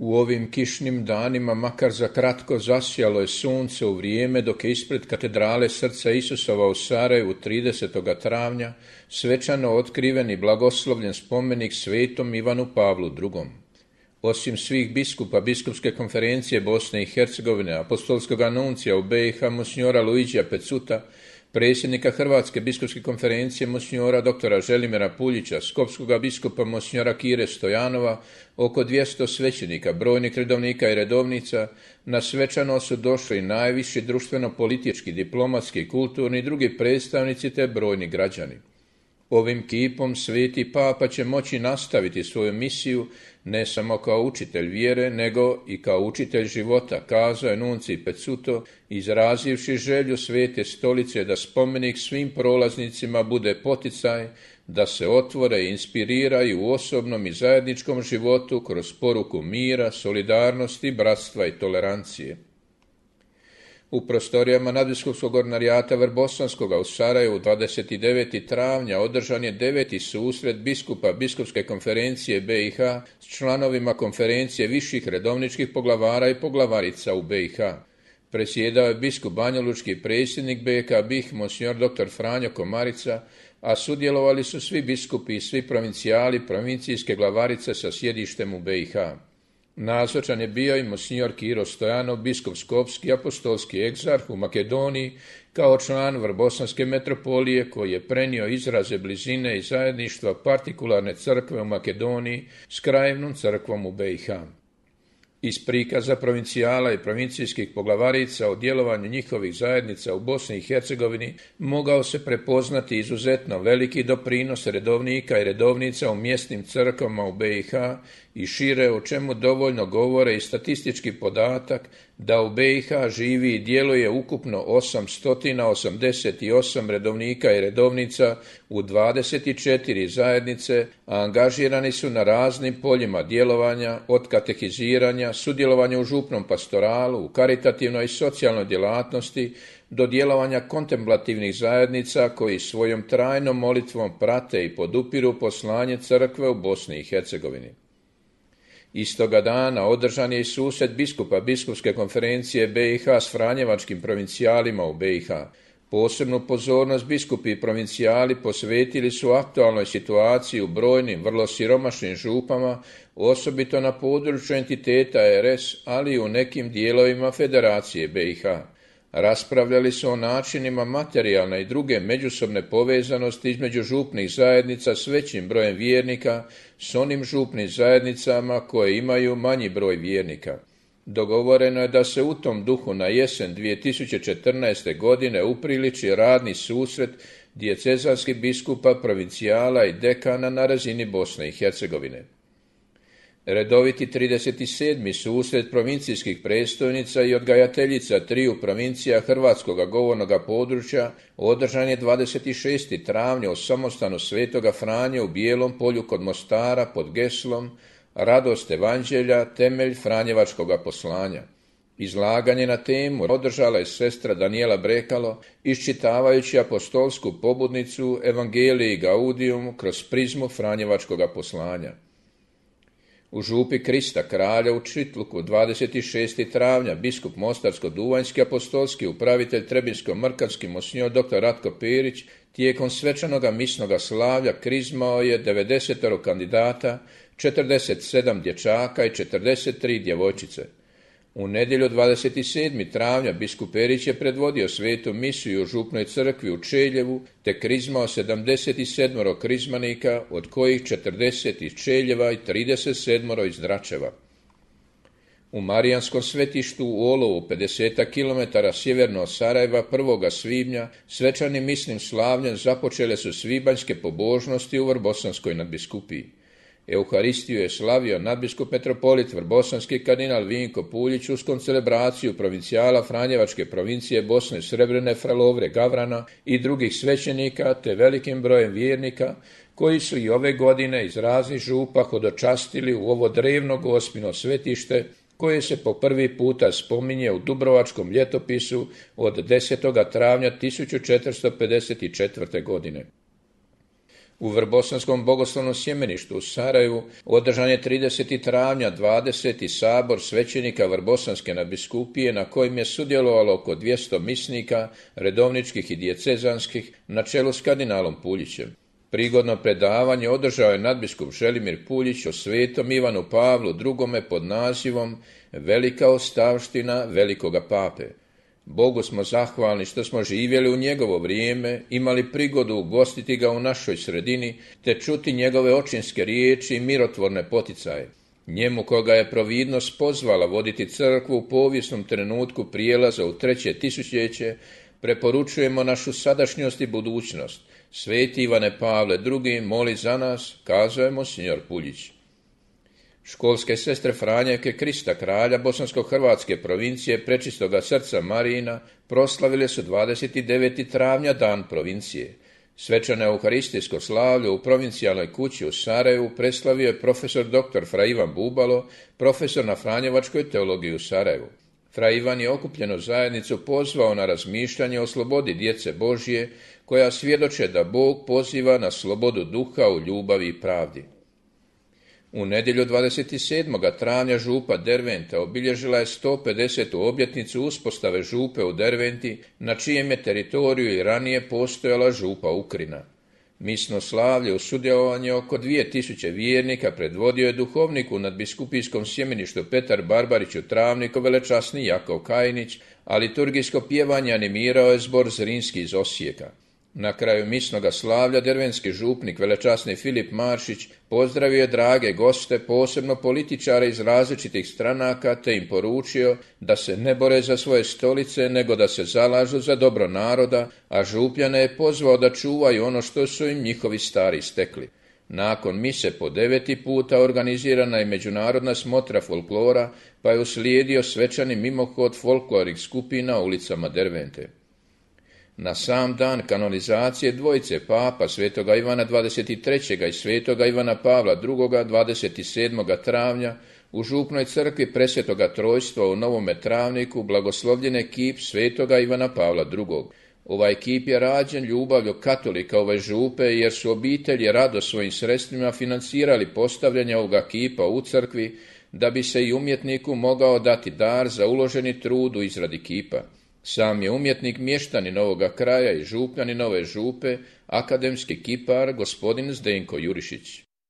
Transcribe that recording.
U ovim kišnim danima makar za kratko zasjalo je sunce u vrijeme dok je ispred katedrale Srca Isusova u Sarajevu 30. travnja svečano otkriven i blagoslovljen spomenik svetom Ivanu Pavlu II. Osim svih biskupa Biskupske konferencije Bosne i Hercegovine, apostolskog anuncija u BiH monsignora Luigija Pecuta, predsjednika Hrvatske biskupske konferencije monsignora dr. Želimira Puljića, skopskoga biskupa monsignora Kire Stojanova, oko 200 svećenika, brojnih redovnika i redovnica, na svečano su došli najviši društveno-politički, diplomatski, kulturni i drugi predstavnici te brojni građani. Ovim kipom sveti Papa će moći nastaviti svoju misiju ne samo kao učitelj vjere, nego i kao učitelj života, kazao je nuncij Pecuto, izrazivši želju Svete Stolice da spomenik svim prolaznicima bude poticaj, da se otvore i inspiriraju u osobnom i zajedničkom životu kroz poruku mira, solidarnosti, bratstva i tolerancije. U prostorijama nadbiskupskog ordinarijata Vrbosanskoga u Sarajevu 29. travnja održan je 9. susret biskupa Biskupske konferencije BiH s članovima konferencije viših redovničkih poglavara i poglavarica u BiH. Presjedao je biskup banjalučki predsjednik BiH BiH monsignor dr. Franjo Komarica, a sudjelovali su svi biskupi i svi provincijali provincijske glavarice sa sjedištem u BiH. Nazočan je bio i monsignor Kiro Stojanov, biskup skopski, apostolski egzarh u Makedoniji, kao član Vrbosanske metropolije koji je prenio izraze blizine i zajedništva partikularne crkve u Makedoniji s krajevnom crkvom u BiH. Iz prikaza provincijala i provincijskih poglavarica o djelovanju njihovih zajednica u Bosni i Hercegovini mogao se prepoznati izuzetno veliki doprinos redovnika i redovnica u mjesnim crkvama u BiH i šire, o čemu dovoljno govore i statistički podatak da u BiH živi i djeluje ukupno 888 redovnika i redovnica u 24 zajednice, a angažirani su na raznim poljima djelovanja, od katehiziranja, sudjelovanja u župnom pastoralu, u karitativnoj i socijalnoj djelatnosti, do djelovanja kontemplativnih zajednica koji svojom trajnom molitvom prate i podupiru poslanje crkve u Bosni i Hercegovini. Istoga dana održan je i susret biskupa Biskupske konferencije BiH s franjevačkim provincijalima u BiH. Posebnu pozornost biskupi i provincijali posvetili su aktualnoj situaciji u brojnim, vrlo siromašnim župama, osobito na području entiteta RS, ali i u nekim dijelovima Federacije BiH. Raspravljali su o načinima materijalne i druge međusobne povezanosti između župnih zajednica s većim brojem vjernika s onim župnim zajednicama koje imaju manji broj vjernika. Dogovoreno je da se u tom duhu na jesen 2014. godine upriliči radni susret dijecezanskih biskupa, provincijala i dekana na razini Bosne i Hercegovine. Redoviti 37. susret provincijskih predstojnica i odgajateljica triju provincija hrvatskog govornog područja održan je 26. travnja u samostanu Svetoga Franje u Bijelom polju kod Mostara pod geslom Radost evanđelja, temelj franjevačkog poslanja. Izlaganje na temu održala je sestra Danijela Brekalo, iščitavajući apostolsku pobudnicu Evangelii Gaudium kroz prizmu franjevačkog poslanja. U župi Krista kralja u Čitluku 26. travnja biskup Mostarsko-Duvanjski apostolski upravitelj Trebinsko-Mrkanski monsignor dr. Ratko Perić tijekom svečanoga misnoga slavlja krizmao je 90 kandidata, 47 dječaka i 43 djevojčice. U nedjelju 27. travnja biskup Perić je predvodio svetu misiju u župnoj crkvi u Čeljevu te krizmao 77 krizmanika, od kojih 40 iz Čeljeva i 37 iz Dračeva. U Marijanskom svetištu u Olovu, 50 km sjeverno od Sarajeva, 1. svibnja, svečanim misnim slavljem započele su svibanjske pobožnosti u Vrbosanskoj nadbiskupiji. Euharistiju je slavio nadbiskup metropolit Vrbosanski kardinal Vinko Puljić uz koncelebraciju provincijala Franjevačke provincije Bosne Srebrene Fralovre Gavrana i drugih svećenika te velikim brojem vjernika koji su i ove godine iz raznih župa hodočastili u ovo drevno gospino svetište koje se po prvi puta spominje u Dubrovačkom ljetopisu od 10. travnja 1454. godine. U Vrbosanskom bogoslovnom sjemeništu u Sarajevu održan je 30. travnja 20. sabor svećenika Vrbosanske nadbiskupije na kojem je sudjelovalo oko 200 misnika, redovničkih i dijecezanskih, na čelu s kardinalom Puljićem. Prigodno predavanje održao je nadbiskup Želimir Puljić o svetom Ivanu Pavlu II. Pod nazivom Velika ostavština velikoga pape. Bogu smo zahvalni što smo živjeli u njegovo vrijeme, imali prigodu ugostiti ga u našoj sredini, te čuti njegove očinske riječi i mirotvorne poticaje. Njemu koga je providnost pozvala voditi crkvu u povijesnom trenutku prijelaza u 3. tisućljeće, preporučujemo našu sadašnjost i budućnost. Sveti Ivane Pavle II, moli za nas, kazao monsignor Puljić. Školske sestre Franjevke Krista kralja Bosansko-hrvatske provincije Prečistoga srca Marijina proslavile su 29. travnja dan provincije. Svečano euharistijsko slavlje u provincijalnoj kući u Sarajevu preslavio je profesor dr. Fra Ivan Bubalo, profesor na Franjevačkoj teologiji u Sarajevu. Fra Ivan je okupljenu zajednicu pozvao na razmišljanje o slobodi djece Božje, koja svjedoče da Bog poziva na slobodu duha u ljubavi i pravdi. U nedjelju 27. travnja župa Derventa obilježila je 150. obljetnicu uspostave župe u Derventi, na čijem je teritoriju i ranije postojala župa Ukrina. Misno slavlje u sudjelovanju oko 2000 vjernika predvodio je duhovnik u nadbiskupijskom sjemeništu Petar Barbarić u Travniku velečasni Jakov Kajnić, a liturgijsko pjevanje animirao je zbor Zrinski iz Osijeka. Na kraju misnoga slavlja dervenski župnik velečasni Filip Maršić pozdravio je drage goste, posebno političare iz različitih stranaka, te im poručio da se ne bore za svoje stolice, nego da se zalažu za dobro naroda, a župljane je pozvao da čuvaju ono što su im njihovi stari stekli. Nakon mise po 9. puta organizirana je međunarodna smotra folklora, pa je uslijedio svečani mimohod folklornih skupina ulicama Dervente. Na sam dan kanonizacije dvojice papa svetoga Ivana 23. i svetoga Ivana Pavla II. 27. travnja u župnoj crkvi Presvetoga Trojstva u Novome Travniku blagoslovljen je kip svetoga Ivana Pavla II. Ovaj kip je rađen ljubavlju katolika ove župe, jer su obitelji rado svojim sredstvima financirali postavljanje ovoga kipa u crkvi, da bi se i umjetniku mogao dati dar za uloženi trud u izradi kipa. Sam je umjetnik mještanin ovoga kraja i župljanin ove župe, akademski kipar gospodin Zdenko Jurišić.